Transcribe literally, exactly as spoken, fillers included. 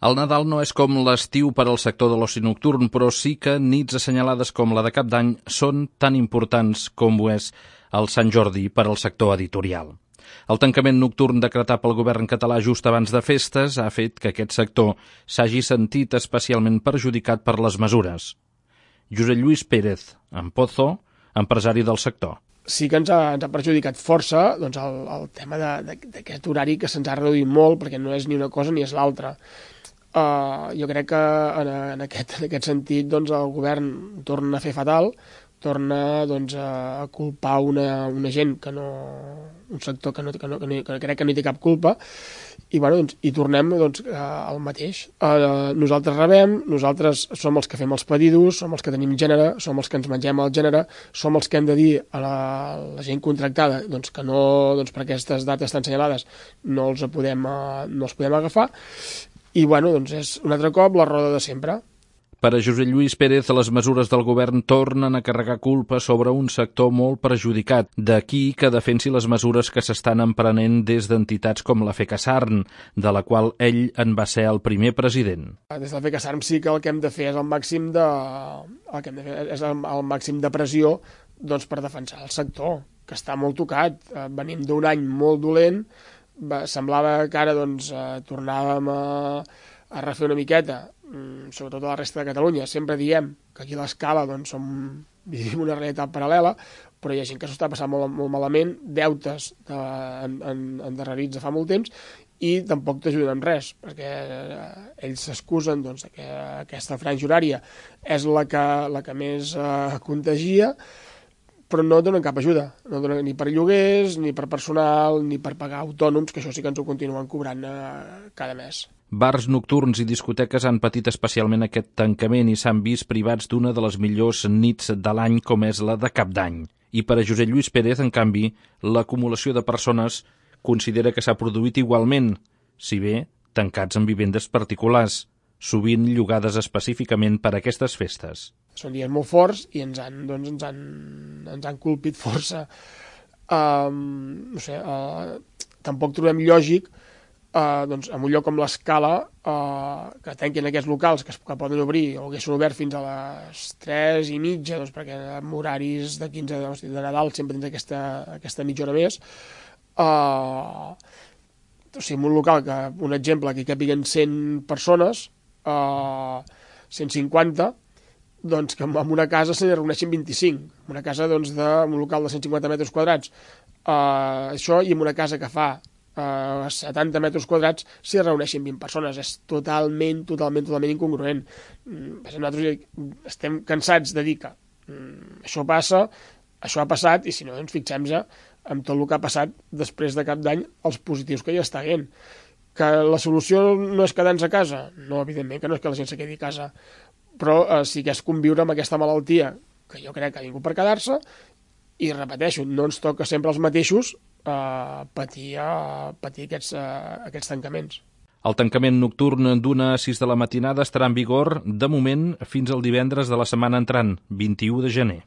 El Nadal no és com l'estiu per al sector de l'oci nocturn, però sí que nits assenyalades com la de Cap d'Any són tan importants com ho és el Sant Jordi per al sector editorial. El tancament nocturn decretat pel govern català just abans de festes ha fet que aquest sector s'hagi sentit especialment perjudicat per les mesures. Josep Lluís Pérez, en Pozo, empresari del sector. Sí que ens ha, ens ha perjudicat força doncs, el, el tema d'aquest horari que se'ns ha reduït molt, perquè no és ni una cosa ni és l'altra. Uh, jo crec que en, en, aquest, en aquest sentit doncs, el govern torna a fer fatal, torna doncs, a culpar una, una gent que no, un sector que, no, que, no, que, no, que crec que no hi té cap culpa, i, bueno, doncs, i tornem doncs, al mateix. Uh, nosaltres rebem, nosaltres som els que fem els pedidos, som els que tenim gènere, som els que ens mengem el gènere, som els que hem de dir a la, la gent contractada doncs, que no, doncs, per aquestes dates tan assenyalades no els podem, uh, no els podem agafar, i bueno, doncs és un altre cop la roda de sempre. Per a Josep Lluís Pérez, les mesures del govern tornen a carregar culpa sobre un sector molt perjudicat. D'aquí que defensi les mesures que s'estan emprenent des d'entitats com la FECASARM, de la qual ell en va ser el primer president. Des de la FECASARM sí que el que hem de fer és el màxim de, el que hem de fer és el, el màxim de pressió doncs, per defensar el sector, que està molt tocat. Venim d'un any molt dolent, semblava que ara doncs, tornàvem a, a refer una miqueta, sobretot a la resta de Catalunya. Sempre diem que aquí a l'Escala doncs, som, vivim una realitat paral·lela, però hi ha gent que s'ho està passant molt, molt malament, deutes de, en, en, endarrerits de fa molt temps, i tampoc t'ajuden en res, perquè ells s'excusen doncs, que aquesta franja horària és la que, la que més eh, contagia, però no donen cap ajuda, no donen ni per lloguers, ni per personal, ni per pagar autònoms, que això sí que ens ho continuen cobrant eh, cada mes. Bars nocturns i discoteques han patit especialment aquest tancament i s'han vist privats d'una de les millors nits de l'any com és la de Cap d'Any. I per a Josep Lluís Pérez, en canvi, l'acumulació de persones considera que s'ha produït igualment, si bé tancats en vivendes particulars, sovint llogades específicament per a aquestes festes. Són dies molt forts i ens han, doncs, ens han, ens han colpit força. Um, no sé, uh, tampoc trobem lògic uh, doncs, en un lloc com l'Escala uh, que tanquin aquests locals que, es, que poden obrir o haguessin obert fins a les tres i mitja, doncs, perquè amb horaris de quinze de, de Nadal sempre tens aquesta, aquesta mitja hora més. Uh, o sigui, en un local, que, un exemple, que hi capiguen cent persones, uh, cent cinquanta, doncs que en una casa se n'hi reuneixen vint-i-cinc, una casa doncs, d'un local de cent cinquanta metres quadrats. Uh, això, i en una casa que fa uh, setanta metres quadrats s'hi reuneixen vint persones. És totalment, totalment, totalment incongruent. Mm, nosaltres estem cansats de dir que mm, això passa, això ha passat, i si no, doncs fixem-nos amb tot el que ha passat després de Cap d'Any, els positius que hi està havent. Que la solució no és quedar-nos a casa? No, evidentment que no és que la gent se quedi a casa, però eh, sí que és conviure amb aquesta malaltia, que jo crec que ha vingut per quedar-se, i repeteixo, no ens toca sempre els mateixos eh, patir, eh, patir aquests, eh, aquests tancaments. El tancament nocturn d'una a sis de la matinada estarà en vigor, de moment, fins al divendres de la setmana entrant, vint-i-u de gener.